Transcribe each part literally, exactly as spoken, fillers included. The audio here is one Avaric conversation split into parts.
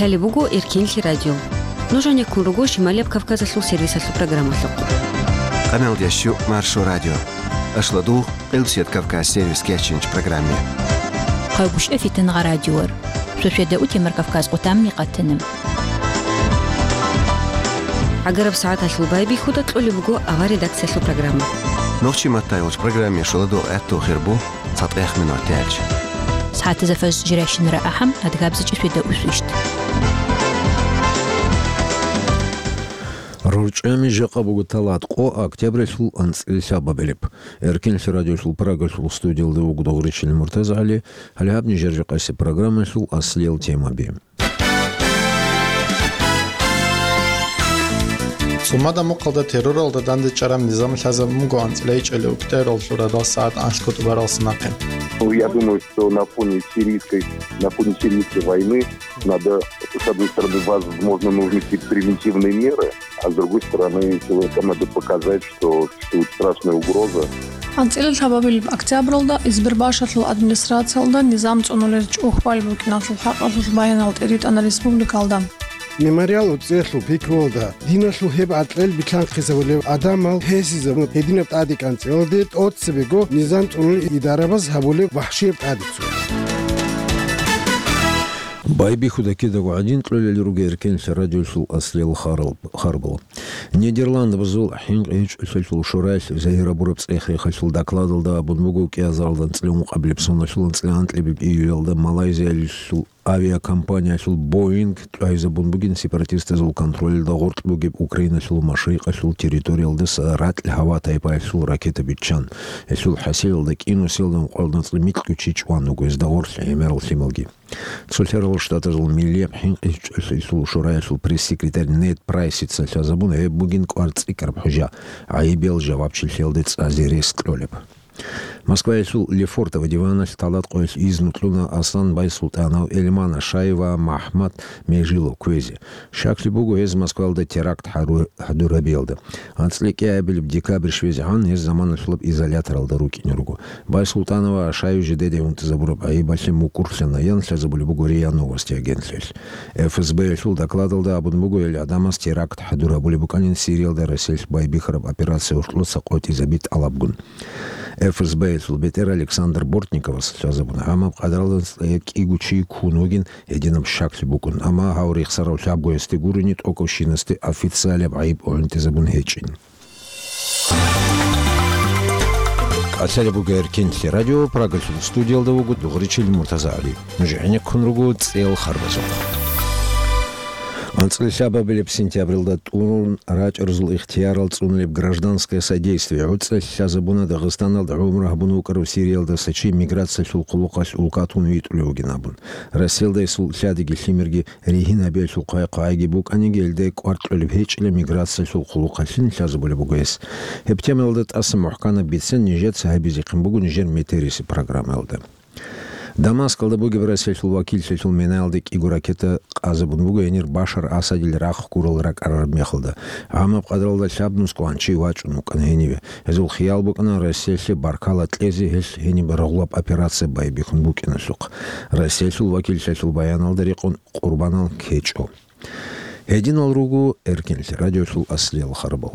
Лъалеб буго Эркенлъи радио. Нуж гьанеккун руго Шималияб Кавказалъул сервисалъул программалъухъ. Къамел дящу Маршо радио. Ашла дугъ, Къилсият Кавказ сервис кечинч программе. Хъайгушев Фитангъа радиор. Шошеда утемар Кавказ къутамни къатанам. ГӀагараб сагӀаталъул байбихьуда кьолеб буго авар редакциялъул программа. Нохчи маттайолч программе шоладо гӀатту хирбу. ЦатӀех минут тяч. СагӀатаза фаз жирайщинара ахӀам, адгабзичӀи шведа усвищ. РорчӀами жакъа буго талат къо октябралъул анцӀила лъабабилеб. Эркенлъи радиолъул Прагалъул студиялда вуго Дугъричил МуртазагӀали, гьале гьаб нижер жакъасеб программалъул аслиял темаби. ЦӀумада мухъалда терроралда дандечӀараб низам лъазабун буго анцӀила ичӀалиугӀ кӀидаялъул радал сагӀат анлъго тӀубарал санахъе. Ну, я думаю, что на фоне сирийской, на фоне сирийской войны надо, с одной стороны, возможно, нужны какие-то превентивные меры, а с другой стороны, человекам надо показать, что существует страшная угроза. АнцӀила лъабабилеб октябралда Избербашалъул администрациялда низам цӀунулел чӀухӀбал букӀиналъул хӀакъалъулъ баянал тӀеритӀана республикалда. Мемориал уцӀиялъул пикруялда диналъул гьеб гӀакълел билълъанхъизабулев гӀадамал гьесизабун гьединаб тӀаде кӀанцӀиялде тӀоцебего низам цӀунулел идарабаз гьабулеб вахӀшияб тӀадеццун. Байбихьуда кидаго гӀадин кьолел руго Эркенлъи радиолъул аслиял харал-, харбал. Нидерландабазул хӀинкъи гьечӀолъиялъул шораялъ загьир гьабураб цӀех-рехалъул докладалда абун буго, кӀиазаралда анцӀила ункъабилеб соналъул анцӀила анкьабилеб июлалда Малайзиялъул авиакомпаниялъул Боинг тӀвайзабун бугин сепаратистазул контролалда гъоркь бугеб Украиналъул машрикъалъул территориялдаса ракь-гьава тайпаялъул ракета биччан. Гьелъул хӀасилалда кӀинусиялда ункъоялда анцӀила микьго чи чӀван вуго, гьезда гъорлъ гӀемерал лъималги. Цолъарал Штатазул Миллияб хӀинкъичӀолъиялъул шораялъул пресс-секретарь Нед Прайсица лъазабуна гьеб бугин кӀвар цӀикӀкӀараб хӀужа, гӀайибиял жавабчилъиялде цӀазе рес кьолеб. Москваялъул Лефортово диваналъ талат къоялъ изну кьуна Аслан Байсултанов, Эльман Ашаева, МахӀмад Межилов кквезе. Щаклъи буго гьез Москваялда теракт хӀару-, хӀадурабиялда. АнцӀила кӀиабилеб декабрь щвезегӀан гьез заманалъулаб изоляторалда рукӀине руго. Байсултанова Ашаев жидеде унтизабураб гӀайибалъе мукӀурлъана, ян лъазабулеб буго РИА Новости агентлъиялъ. ФСБ-ялъул докладалда абун буго, гьел гӀадамаз теракт хӀадур гьабулеб букӀанин Сириялда Россиялъ байбихьараб операция гьоркьоса къотӀизаби тӀалабгун. ФСБ-ялъул бетӀер Александр Бортниковас лъазабуна, амма къадралда кӀиго чи ккун вугин гьединаб щаклъи букӀун, амма гьав рехсарав лъабго гьесде гурони тӀокӀабщинасде официалияб гӀайиб гӀунтӀизабун гьечӀин. КӀалъалеб буго Эркенлъи радио, Прагалъул студиялда вуго Дугъричил МуртазагӀали. Нуж гӀенеккун руго цӀел харбазухъ. АнцӀила лъабабилеб сентябралда тӀурун рачӀарзул ихтиярал цӀунулеб гражданское содействие гӀуцӀа лъазабуна Дагъистаналда гӀумру гьабун вукӀарав Сириялдаса чи миграциялъул хъулухъалъ улкатун витӀулев вугин абун. Россиялда гьесул лъадиги лъимерги ригьин гьабиялъул хъвай-хъвайги букӀаниги, гьелде кӀвар кьолеб гьечӀила миграциялъул хъулухъалъин лъазабулеб буго гьес. Гьеб темаялда тӀаса мухӀканаб бицен нижеца гьабизехъин буго нижер метерисеб программаялда. Дамаскалда бугеб Россиялъул вакиллъиялъул минаялде кӀиго ракета къазабун буго гьенир Башар Асадил рахъ гурал ракӀарараб мехалда. Гьамаб къадралда лъабнус кӀванчи вачӀун вукӀана гьениве. Гьезул хиял букӀана Россиялъе баркала кьезе гьелъ гьениб рагъулаб операция байбихьун букӀиналъухъ. Россиялъул вакиллъиялъул баяналда рекъон къурбанал ккечӀо. Гьединал руго Эркенлъи радиолъул аслиял харбал.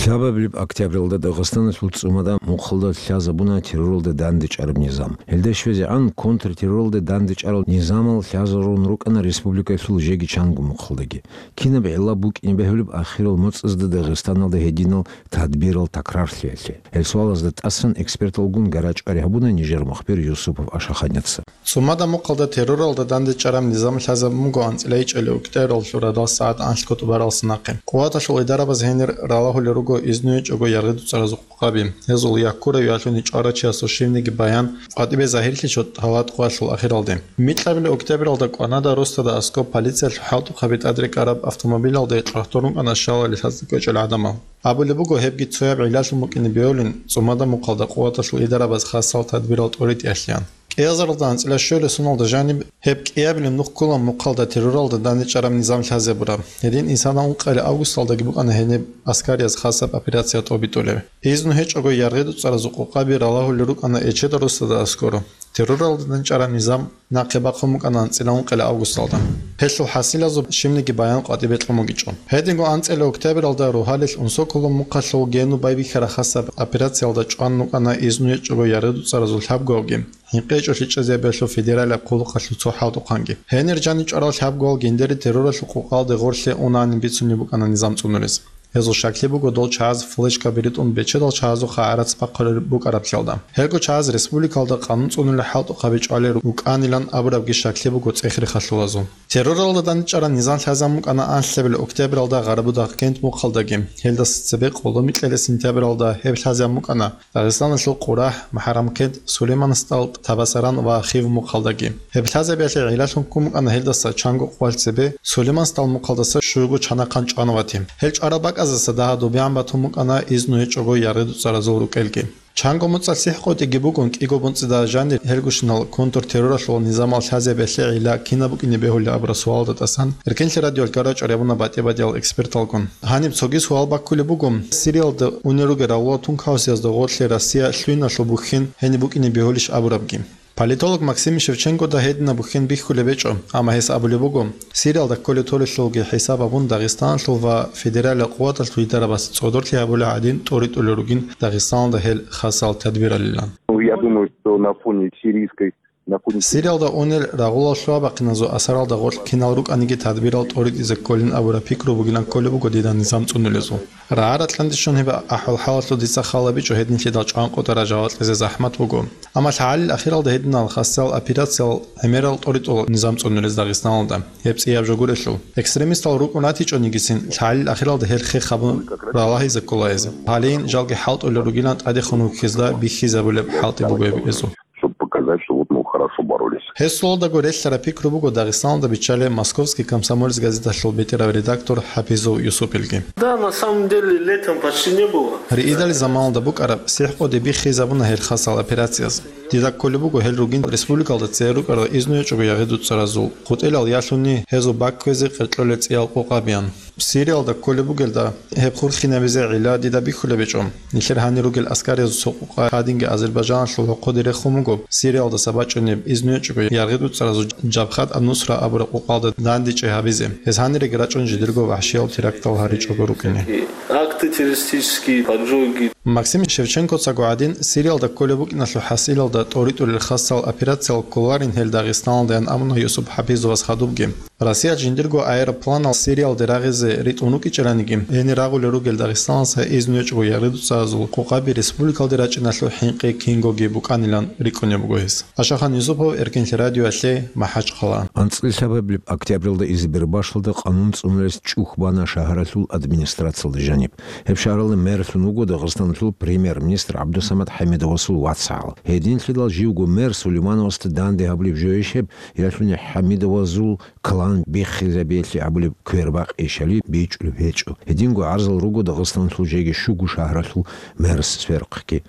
Лъабабилеб октябралда Дагъистаналъул ЦӀумада мухъалда лъазабуна терроралда дандечӀараб низам. Гьелда щвезегӀан контртерроралда дандечӀарал низамал лъазарун рукӀана республикаялъул жеги чанго мухъалдаги. Кинаб гӀилла букӀине бегьулеб ахирал моцӀазда Дагъистаналда гьединал тадбирал такрарлъиялъе? Гьел суалазда тӀасан эксперталгун гарачӀвари гьабуна нижер мухбир Юсупов Ашаханяца. ЦӀумада мухъалда терроралда дандечӀараб низам лъазабун буго анцӀила ичӀалиугӀ кӀидаялъул радал сагӀат анлъго тӀубарал санахъе. Къуваталъул идарабаз гьенир ралагьулел руго изну гьечӀого яргъи дуцӀаразухъ къаби. Гьезул яккурав ялъуни чӀварав чиясул щивниги баян къватӀибе загьирлъичӀо талат къоялъул ахиралде. Микьабилеб октябралда кӀванада росдада аскӀоб полициялъул хӀалтӀухъаби тӀадрекӀараб автомобилалде кьвагьтун рукӀана щалали лъаза кӀвечӀел гӀадамал. Абулеб буго, гьебги цояб гӀиллалъун букӀине бегьулин, ЦӀумада мухъалда къуваталъул идарабаз хасал тадбирал тӀоритӀиялъеян. Азаралда анцӀила щуялъул соналда жаниб гьеб кӀиабилеб нух ккола мухъалда терроралда дандечӀараб низам лъазе гьабураб. Гьедин исана ункъоялъул августалдаги букӀана гьениб аскарияб хасаб операция тӀобитӀулеб. Изну гьечӀого яргъи-дуцӀаразул къокъаби ралагьулел рукӀана Эчедал росдада аскӀоро. Терроралда дандечӀараб низам нахъе бахъун букӀана анцӀила ункъоялъул августалда. Гьелъул хӀасилазул щибниги баян къватӀибе кьун бугичӀо. Гьединго анцӀила октябралда рогьалил Унсоколо мухъалъул гену байбихьараб хасаб операциялда чӀван букӀана изну гьечӀого яргъи-дуцӀаразул лъабгоялги, хӀинкъичӀого лъикӀлъизабиялъул федералияб хъулухъалъул цо хӀалтӀухъанги. Гьенир жаниб чӀварал лъабгоял гьиндери терроралъул къокъалде гъорлъе унаанин бицунеб букӀана низам цӀунулез. Гьезул щаклъи буго дол чагӀаз флешкаби ритӀун бечедал чагӀазухъа гӀарац бахъулел букӀараблъиялда. Гьелго чагӀаз республикалда къанун цӀунулел хӀалтӀухъаби чӀвалел рукӀанилан абурабги щаклъи буго цӀех-рехалъулазул. Терроралда дандечӀараб низам лъазабун букӀана анлъабилеб октябралда Гъарабудагъкент мухъалдаги, гьелдаса цебе къоло микьилел сентябралда гьеб лъазабун букӀана Дагъистаналъул Къурагь, МухӀаррамкент, Сулейманстал, Табасаран ва Хив мухъалдаги. Гьеб лъазабиялъе гӀиллалъун ккун букӀана гьелдаса чанго къоялъ цебе Сулейманстал мухъалдаса щуго чанахъан чӀван вати. Гьел чӀварал бакӀаздаса дагьа-добегӀан батун букӀана изну гьечӀого яргъи-дуцӀаразул рукӀелги. Чанго моцӀалъ сихӀкъотӀиги бугун, кӀиго моцӀида жанир гьелгощинал контртерроралъул низамал лъазабиялъе гӀилла кинаб букӀине бегьулеб абураб суалда тӀасан, Эркенлъи радиоялъ гьарачӀо регьуна батӀи-батӀиял эксперталгун. Гьаниб цоги суал баккулеб буго, Сириялда унел ругел рагъулал тункаусиязда гъорлъе Россия лъугьиналъул бухьен гьениб букӀине бегьулищ абурабги. Политолог Максим Шевченкода гьединаб бухьен бихьулеб гьечӀо, амма гьес абулеб буго, Сириялда кколеб толелъулги хӀисаб гьабун Дагъистаналъул ва федералияб къуваталъул дидарабаз цӀодорлъи гьабулеб гӀадин тӀоритӀулел ругин Дагъистаналда гьел хасал тадбиралилан. Ну, я думаю, что на фоне сирийской, на фоне Сириялда унел рагъулал лъугьа-бахъиназул асаралда гъорлъ кинал рукӀаниги тадбирал тӀоритӀизе кколин абураб пикру бугилан кколеб буго дида низам цӀунулезул. РагӀа-ракьанде щун гьеб ахӀвал-хӀалалъул дица хал гьабичӀо, гьединлъидал чӀванкъотӀараб жаваб кьезе захӀмат буго. Амма лъагӀалил ахиралда гьединал хасал операциял гӀемерал тӀоритӀула низам цӀунулез Дагъистаналда, гьеб цӀияб жо гурелъул. Экстремистал рукӀун ратичӀонигицин, лъагӀалил ахиралда гьел хех гьабун ралагьизе ккола гьез. Гьалин жалги хӀалтӀулел ругилан тӀадехун вухьизда бихьизабулеб хӀалтӀи буго гьеб гьезул. Чтобы показать, что вот мы хорошо боролись. Гьесулалдаго релълъараб пикру буго Дагъистаналда биччалеб Московский комсомолец газеталъул бетӀерав редактор ХӀапизов Юсупилги. Да, на самом деле, летом почти не было. Риидал заманалда букӀараб сихӀкъоди биххизабуна гьел хасал операцияз. Дида кколеб буго гьел ругин республикалда цӀер рукӀарал изну гьечӀого ягъи-дуцӀаразул, хутӀилал ялъуни гьезул бакквезе къеркьолел цӀиял къокъабиян. Сириялда кколеб бугелда, гьеб хурхинабизе гӀилла дида бихьулеб гьечӀо. Нилъер гьанир ругел аскариязул цо къукъа гьадинги Азербайджаналъул гьокъоде рехун буго Сириялдаса бачӀунеб изну гьечӀого ягъи-дуцӀаразул Жабхат ан-Нусра абураб къокъалда дандечӀей гьабизе. Гьез гьаниреги рачӀун жидерго вахӀшиял терактал гьаричӀого рукӀине. Акты террористические, поджоги. Максим Шевченкоцаго гӀадин, Сириялда кколеб букӀиналъул хӀасилалда тӀоритӀулел хасал операциял кколарин гьел Дагъистаналдаян абуна Юсуп ХӀапизовас хадубги. Россиялъ жиндирго аэропланал Сириялде рагъизе ритӀун рукӀичӀараниги, гьенир рагъулел ругел Дагъистаналдаса изну гьечӀого ягъи-дуцӀаразул къокъаби республикалде рачӀиналъул хӀинкъи кингоги букӀанилан рикӀкӀунеб буго гьес. Ашахан Юсупов, Эркенлъи радиоялъе, МахӀачхъала. АнцӀила лъабабилеб октябралда Избербашалда къанун цӀунулес чӀухь бана шагьаралъул администрациялда жаниб. Гьеб шагьаралда мерлъун вуго Дагъистаналъул премьер-министр ГӀабдусамат ХӀамидовасул вацгӀал. Гьединлъидал живго мер Сулеймановасда данде гьабулеб жойищ гьеб, ялъуни ХӀамидовазул клан биххизабиялъе гьабулеб квербакъ ишали бичӀчӀулеб гьечӀо. Гьединго гӀарзал руго Дагъистаналъул жеги щуго шагьаралъул мерс сверухъги.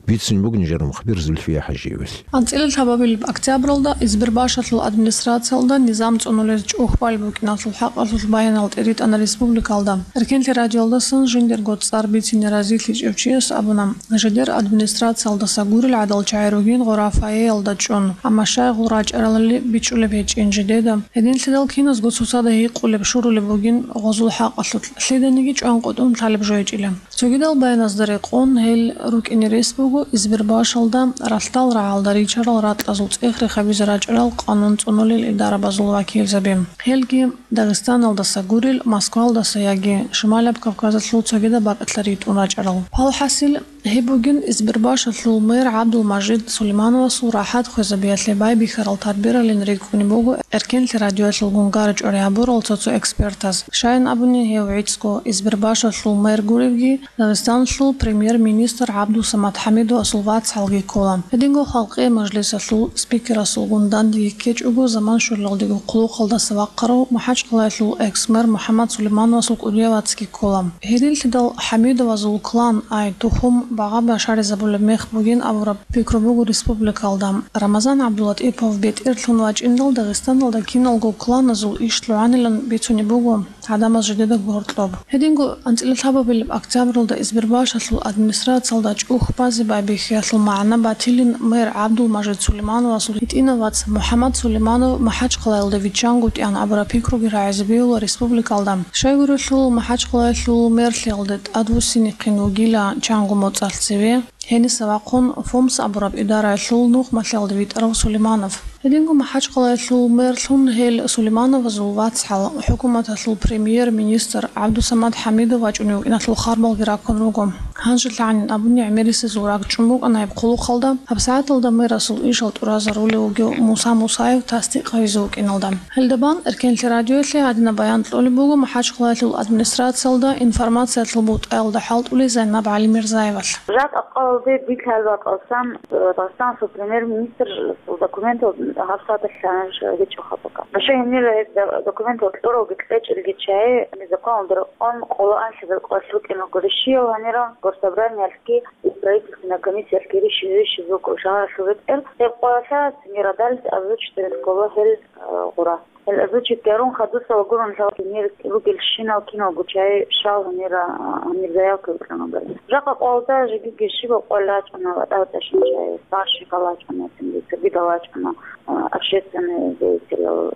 Бицунеб буго нижер мухбир Зульфия ХӀажиевалъ. АнцӀила лъабабилеб октябралда Избербашалъул администрациялда низам цӀунулез чӀухь балеб букӀиналъул хӀакъалъулъ баянал тӀеритӀана республикалда. Эркенлъи радиоялдасан жиндирго цӀар бицине разилъичӀев чияс абуна, жидер администрациялдаса гурел гӀадал чагӀи ругин гъорафаеялда чӀун, амма щай гъул рачӀаралали бичӀчӀулеб гьечӀин жидеда. Гьединлъидал киназго цоцазда гьикъулеб, щурулеб бугин гъозул хӀакъалъулъ, лъиданиги чӀванкъотӀун лъалеб жо гьечӀила. Цогидал баяназда рекъон, гьел рукӀине рес буго Избербашалда ралъдал рагӀалда ричарал ратӀазул цӀех-рех гьабизе рачӀарал къанун цӀунулел идарабазул вакилзаби. Гьелги Дагъистаналдаса гурел, Москвалдаса яги Шималаб Кавказалъул цогидаб бакӀалъа ритӀун рачӀарал. Валхъасил, гьеб бугин Избербашалъул мэр ГӀабдулмажид Сулеймановасул рахӀат хвезабиялъе байбихьарал тадбиралин рикӀкӀунеб буго Эркенлъи радиоялъулгун гьарачӀо рагӀабурал цо-цо экспертаз. Щайин абуни, гьев гӀицӀго Избербашалъул мэр гуревги, Дагъистаналъул премьер-министр ГӀабдусамат ХӀамидовасул вацгӀалги ккола. Гьединго Халкъиял мажлисалъул спикерасулгун дандеги ккечӀого, заман щолелдего хъулухъалдаса вахъарав МахӀачхъалаялъул экс-мэр МухӀаммад Сулеймановасул кӀудияв вацги ккола. Гьединлъидал ХӀамидовазул клан, ай, тухум, багъа башаризабулеб мех бугин абураб пикру буго республикалда. Рамазан ГӀабдулатӀипов бетӀерлъун вачӀиндал Дагъистаналда киналго кланазул иш лъугӀанилан бицунеб буго гӀадамаз жидеда гьоркьоб. Гьединго анцӀила лъабабилеб октябралда Избербашалъул администрациялда чӀух базе байбихьиялъул магӀна батилин мэр ГӀабдулмажид Сулеймановасул гьитӀинав вац МухӀаммад Сулейманов МахӀачхъалаялда виччангутӀиан абураб пикруги рагӀизе бегьула республикалда. Щайгурелъул, МахӀачхъалаялъул мерлъиялде тӀадвуссинихъин вугила чанго моцӀалъ цеве. Гьениса вахъун ФОМС абураб идараялъул нухмалъиялда витӀарав Сулейманов. Гьединго МахӀачхъалаялъул мерлъун гьел Сулеймановазул вацгӀал, хӀукуматалъул премьер-министр ГӀабдусамад ХӀамидов вачӀунев вукӀиналъул харбалги раккун руго. Гьанже лъагӀанин абуни гӀемерисезул ракӀчӀун букӀана гьеб хъулухъалда, гьабсагӀаталда мерасул ишал тӀуразарулев вугев Муса Мусаев тасдикъ гьавизе вукӀиналда. Гьелда бан Эркенлъи радиоялъе гьадинаб баян кьолеб буго МахӀачхъалаялъул администрациялда информациялъул бутӀаялда хӀалтӀулей Зайнаб ГӀалимирзаевалъ. Жакъа къалде битӀараб бакӀалсан, э, Дагъистаналъул премьер-министрасул документал гьабсагӀаталъ гьанже гьечӀо хабака. Гьанже гьенира гьеб да-, документал кьуралги кьечӀелги чагӀи, незаконал дурхъан къоло анлъи бекъолъ рукӀинаго рищиял гьанира Госсобраниялъги и правительственная комиссиялъги рищи-, рищизулго шагьаралъул бетӀер. Гьеб къоялъа цинги радалица озвучить гьарун ккола гьел, э, гъура. Гьел озвучить гьарун хадусала гурони лъалги нир ругелщинал киналго чагӀи щал гьанира, а, гьанир заявка бикьанабали. Жакъа къоялда жеги геши бакъвал рачӀана ва тӀалтӀашин чагӀи, старший галачӀана, цинги цогидал рачӀана, а, общественный деятелал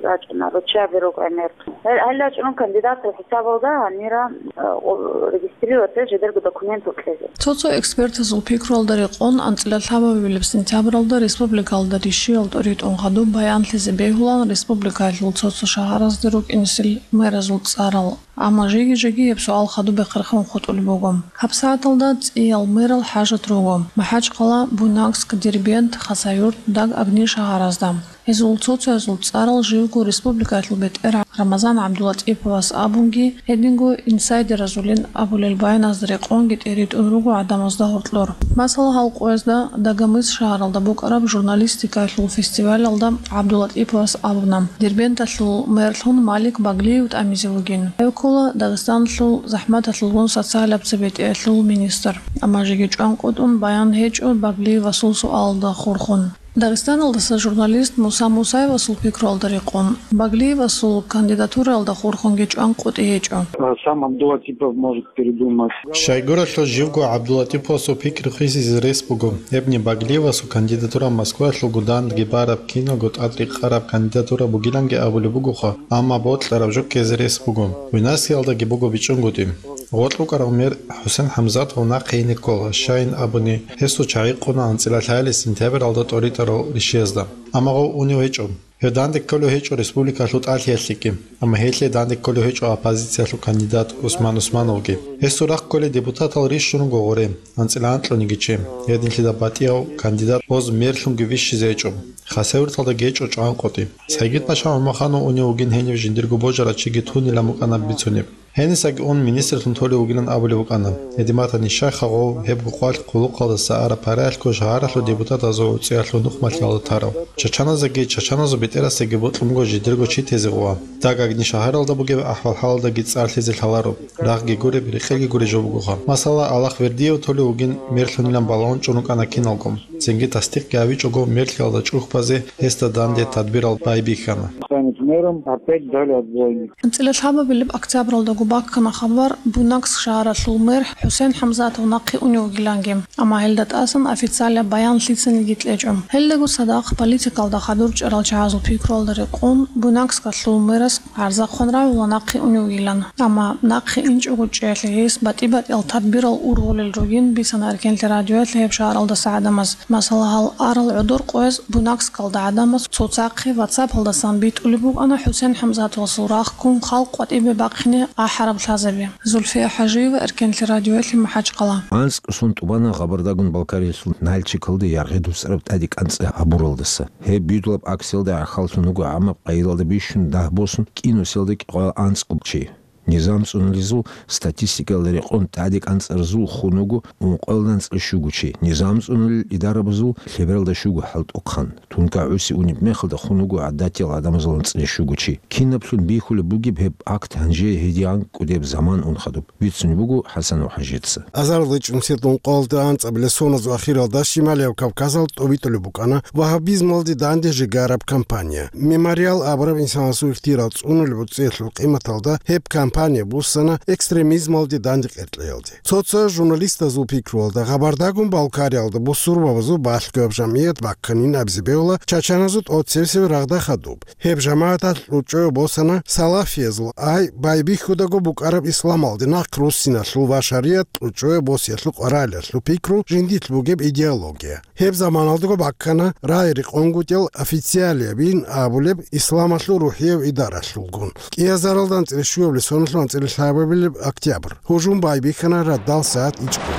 рачӀана, руччаби рукӀанер. Гьел, гьел рачӀун кандидатал хӀисабалда гьанира, а, о, регистрироваться жидерго документал кьезе. Цо-цо экспертазул пикруялда рекъон, анцӀила лъабабилеб сентябралда республикалда рищиял тӀоритӀун хадуб баянлъизе бегьулан республикаялъул цо-цо шагьаразде рукӀинесел мэразул цӀарал. Амма жеги-жеги гьеб суал хадуб бехъерхъун хутӀулеб буго. ГьабсагӀаталда цӀиял мэрал хӀажат руго: МахӀачхъала, Буйнакск, Дербент, Хасавюрт, Даг-Агни шагьаразда. Гьезул цо-цоязул цӀарал живго республикаялъул бетӀер Рамазан ГӀабдулатӀиповас абунги, гьединго инсайдеразулин абулел баяназда рекъонги тӀеритӀун руго гӀадамазда гьоркьор. Масала, гьал къоязда Дагомыс шагьаралда букӀараб журналистикаялъул фестивалалда ГӀабдулатӀиповас абуна, Дербенталъул мерлъун Малик Баглиев тӀамизе вугин. Гьев ккола Дагъистаналъул захӀматалъулгун социалаб цебетӀеялъул министр. Амма жеги чӀванкъотӀун баян гьечӀо Баглиевасул суалалда хурхун. Дагъистаналдаса журналист Муса Мусаевасул пикруялда рекъон, Баглиевасул кандидатураялда хурхунги чӀванкъотӀи гьечӀо. А сам Абдулатипов может передумать. Щайгурелъул живго ГӀабдулатиповасул пикру хисизе рес буго, гьебни Баглиевасул кандидатура Москваялъулго данде бараб киналго тӀадрекъараб кандидатура бугиланги абулеб бугоха, амма бокьараб жо ккезе рес буго. Буйнакскиялдаги буго бичӀчӀунгутӀи. Гъоркь вукӀарав мэр ХӀусен ХӀамзатов нахъе ине ккола, щайин абуни, гьесул чагӀи къуна анцӀила лъаялъе сентябралда тӀоритӀарал рищиязда. Амма гъов унев гьечӀо. Гьев данде кколев гьечӀо республикалъул тӀалъиялъеги, амма гьелъие данде кколев гьечӀо оппозициялъул кандидат Усман Усмановги. Гьесул рахъ кколей депутатал рищун руго гъоре, анцӀила анкьаниги чи. Гьединлъидал батӀияв кандидат гъоз мерлъунги вищизе гьечӀо. Хасавюрталдаги гьечӀо чӀванкъотӀи. Сайгид-паша ГӀумаханов унев вугин гьенив жиндирго божарав чиги тунилан букӀана бицунеб. Гьенисаги ун министрлъун толев вугилан абулеб букӀана. Гьедин батани, щайха гъов гьеб гъвалъ хъулухъалдаса араб параялъго шагьаралъул депутатазул гӀуцӀиялъул нухмалъиялда тарав. Чачаназеги чачаназул бетӀерасеги бокьун буго жидерго чи тезе гъова. Даг-Агни шагьаралда бугеб ахӀвал-хӀалалдаги цӀарлъизе лъаларо. Рагъги гуреб, рекъелги гуреб жо бугоха. Масала, Аллагь Вердиев толев вугин мерлъунилан балагьун чӀун рукӀана киналго. Цинги тасдикъги гьавичӀого мерлъиялда чӀухӀбазе гьесда данде тадбирал байбихьана. Станет мэром, опять дали отбойник. АнцӀила лъабабилеб октябралдаго баккана хабар, Буйнакск шагьаралъул мэр ХӀусен ХӀамзатов нахъе унев вугиланги, амма гьелда тӀасан официалаб баян лъицаниги кьечӀо. Гьелдаго цадахъ политикалда хадур чӀарал чагӀазул пикруялда рекъон, Буйнакскалъул мэрас гӀарзахъун равила нахъе унев вугилан. Амма нахъе инчӀого чӀеялъе гьес батӀи-батӀиял тадбирал ургъулел ругин бицана Эркенлъи радиоялъе гьеб шагьаралдаса гӀадамаз. Масала, гьал арал гӀодор къояз Буйнакскалда гӀадамаз цоцахъе WhatsApp-алдасан битӀулеб букӀана ХӀусен ХӀамзатовасул рахъ ккун халкъ къватӀибе бахъине ахӀараб лъазаби. Зульфия ХӀажиева, Эркенлъи радиоялъе, МахӀачхъала. АнцӀго сон тӀубана Гъабардагун Балкариялъул Нальчикалде яргъи дуцӀараб тӀаде кӀанцӀи гьабуралдаса. Гьеб бюделаб акциялда гӀахьаллъун вуго гӀамаб къайилалда бищун дагь босун кӀиго селда кӀикъоялда анцӀго чи. Низам цӀунулезул статистикаялда рекъон тӀаде кӀанцӀаразул хун вуго ункъоялда анцӀила щуго чи, низам цӀунулел идарабазул лъебералда щуго хӀалтӀухъан, тункагӀуси унеб мехалда хун вуго гӀадатиял гӀадамазул анцӀила щуго чи. Кинаблъун бихьулеб бугеб гьеб акт гьанже гьедигӀан кӀудеб заман ун хадуб, бицунеб буго ХӀасанов ХӀажица. Азарилда чӀунсед ункъоялда анцӀабилеб соназул ахиралда Шималияб Кавказалда тӀобитӀулеб букӀана вагьабизмалде данде жегараб кампания. Мемориал абураб инсанасул ихтияр цӀунулеб гӀуцӀиялъул къиматалда гьеб кампания буссана экстремизмалде данде къеркьеялде. Цо-цо журналистазул пикруялда, Гъабардагун Балкариялда бусурбабазул балъгояб жамгӀият бакканин абизе бегьула чачаназул тӀоцебесеб рагъда хадуб. Гьеб жамагӀаталъ кьучӀое босана салафиязул, ай байбихьудаго букӀараб исламалде нахъ руссиналъул ва шаригӀат кьучӀое босиялъул къваригӀелалъул пикру, жиндилъ бугеб идеология. Гьеб заманалдаго баккана рагӀи-рекъонгутӀиял официалиябин абулеб исламалъул рухӀияб идаралъулгун. КӀиазаралда анцӀила щуабилеб соналъул анцӀила лъабабилеб октябрь. Гьужум байбихьана радал сагӀат ичӀго.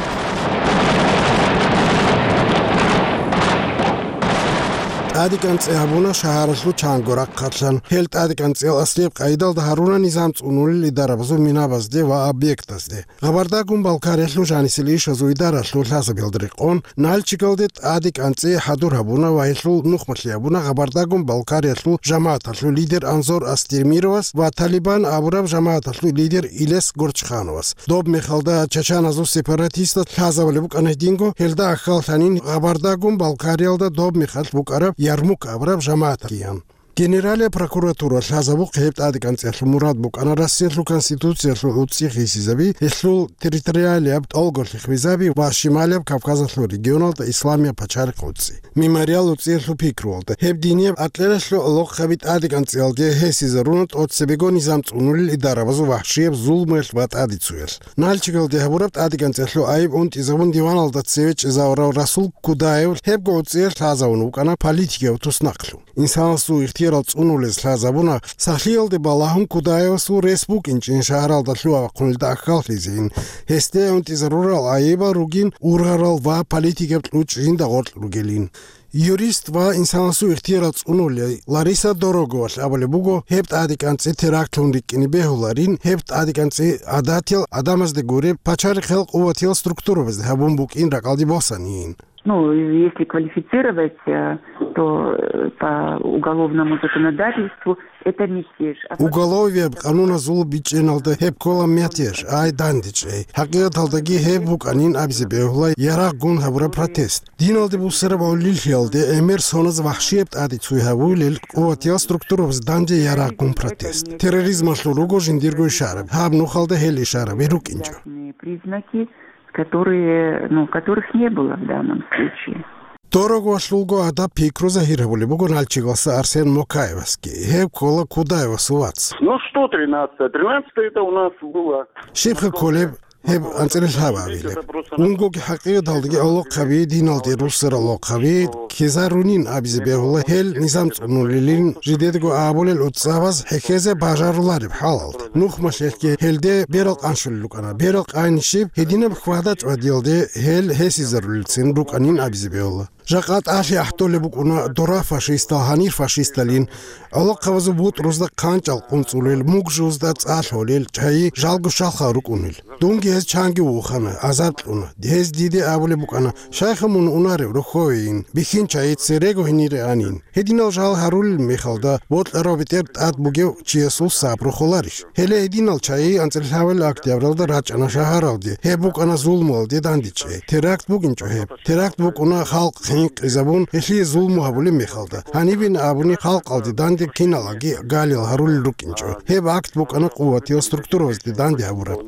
ТӀадекӀанцӀи гьабуна шагьаралъул чанго рахъалъан. Гьел тӀадекӀанцӀиял аслияб къайдалда гьаруна низам цӀунулел идарабазул минабазде ва объектазде. Гъабардагун Балкариялъул жанисел ишазул идаралъул лъазабиялда рекъон, Нальчигалде тӀадекӀанцӀи хӀадур гьабуна ва гьелъул нухмалъи гьабуна Гъабардагун Балкариялъул жамагӀаталъул лидер Анзор Астемировас ва Талибан абураб жамагӀаталъул лидер Илес Горчхановас. Доб мехалда чачаназул сепаратистаз лъазабулеб букӀана гьединго, гьелда ахьаллъанин Гъабардагун Балкариялда доб мехалъ букӀараб Ярмук абураб жамагӀаталъ ккеян. Генералияб прокуратура лъазабухъе гьеб тӀадекӀанцӀиялъул мурад букӀана Россиялъул Конституциялъул гӀуцӀи хисизаби, гьелъул территориалияб тӀолго хихвизаби ва Шималияб Кавказалъул регионалда исламияб пачарихъ гӀуцӀи. Мемориал гӀуцӀиялъул пикруялда, гьеб динияб акьларалъул гӀолохъаби тӀадекӀанцӀиялде гьесизаруна тӀоцебего низам цӀунулел идарабазул вагьшияб зулмуялъ ва тӀадицуялъ. Нальчигалде гьабураб тӀадекӀанцӀиялъул айиб унтӀизабун диваналда цеве чӀезавурав Расул Кудаев гьебго гӀуцӀиялъ лъазавун вукӀана политикияв туснахълъун. Инсанасул ихтиярал цӀунулез лъазабуна, сахлъиялде балагьун Кудаевасул рес букӀинчӀин шагьаралда лъугьа-вахъунелда ахьаллъизейин. Гьесде унтӀизарурал айибал ругин ургъарал ва политикаб кьучӀ жинда гъоркь ругелин. Юрист ва инсанасул ихтиярал цӀунулей Лариса Дороговалъ абулеб буго, гьеб тӀадекӀанцӀи терактлъун рикӀкӀине бегьуларин, гьеб тӀадекӀанцӀи гӀадатиял гӀадамазде гуреб, пачарихъел къуватиял структурабазде гьабун букӀин ракӀалде босанин. Ну, если квалифицировать, э, то, э, по уголовному законодательству это мятеж. А по Уголовияб къануназул бичӀчӀиналда гьеб ккола мятеж, ай дандечӀей. ХӀакъикъаталдаги гьеб букӀанин абизе бегьула ярагъгун гьабураб протест. Диналде бусараб гӀолилъиялде гӀемер соназ вахшияб тӀадицуй гьавулел къуватиял структурабаз данде ярагъгун протест. Терроризмалъул руго жиндирго ишараб, гьаб нухалда гьел ишараби рукӀинчӀо. Признаки, которые, ну, которых не было в данном случае. Дорогвалъулго адаб пикру загьир гьабулеб буго Нальчигалса Арсен Мокаевасги, гьеб ккола Кудаевасул вац. Ну что, тринадцатое? Тринадцатое это у нас было. Щибха кколеб, гьеб анцӀила лъабабилеб. Унгоги хӀакъикъаталдаги гӀолохъаби, диналде руссарал гӀолохъаби ккезарунин абизе бегьула гьел низам цӀунулилин, жидедаго абулел гӀуцӀабаз хӀехьезе бажарулареб хӀалалда. Нухмалъелъги гьелде берал къанщулел рукӀана. Берал къайнищиб гьединаб хьвада-чӀвадиялде гьел гьесизарулелцин рукӀанин абизе бегьула. Жакъа тӀалъи ахӀдолеб букӀуна дора фашистал гьанир фашисталин, гӀолохъабазул бутӀрузда хъанчӀал къунцӀулел, мугжузда цӀа лъолел, чайи жалго щалха рукӀунел. Дунги гьез чанги вухана, азар кьуна. Гьез диде абулеб букӀана: «Щайха мун унарев рохьовейин, бихьин чайи церего гьенире анин». Гьединал жал гьарулел мехалда, бокьарав бетӀер тӀад бугев чиясул сабру холарищ? Гьеле гьединал чайи анцӀила лъабабилеб октябралда рачӀана шагьаралде. Гьеб букӀана зулмуялде дандечӀей. Теракт букӀинчӀо гьеб. Теракт букӀуна халкъ хӀинкъизабун, гьелъие зулму гьабулеб мехалда. Гьанибин абуни, халкъалде данде киналаги галил гьарулел рукӀинчӀо. Гьеб акт букӀана къуватиял структурабазде данде гьабураб.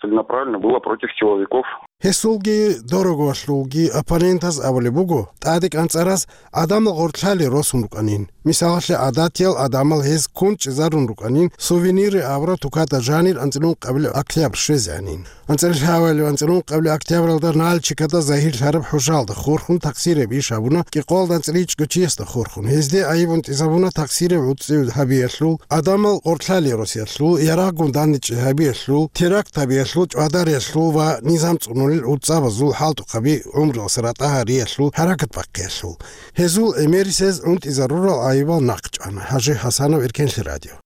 Целенаправленно было против силовиков. Гьесулги Дороговалъулги оппонентаз абулеб буго, тӀадекӀанцӀараз гӀадамал гъоркьлъали росун рукӀанин. Мисалалъе, гӀадатиял гӀадамал гьез ккун чӀезарун рукӀанин, сувениры абураб тукада жанир анцӀила ункъабилеб октябрь щвезегӀанин. АнцӀила лъабабилеб анцӀила ункъабилеб октябралда Нальчикада загьирлъараб хӀужалда хурхун такъсирияб иш гьабуна кӀикъоялда анцӀила ичӀго чиясда хурхун. Гьезде айиб унтӀизабуна такъсирияб гӀуцӀи гьабиялъул, гӀадамал гъоркьлъали росиялъул, ярагъгун дандечӀей гьабиялъул, теракт гьабиялъул, чӀвадариялъул ва низам цӀунулел гӀуцӀабазул хӀалтӀухъаби гӀумруялъ ратӀа гьариялъул, хӀаракат бахъиялъул. Гьезул гӀемерисез унтӀизарурал айибал нахъчӀвана. ХӀажи ХӀасанов, Эркенлъи радио.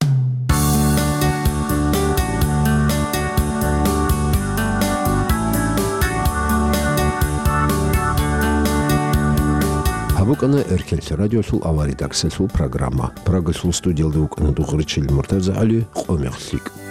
БукӀана Эркенлъи радиолъул аваридаксалъул программа. Прагалъул студиялда вукӀана Дугъричил МуртазагӀали, къо-мех лъикӀ.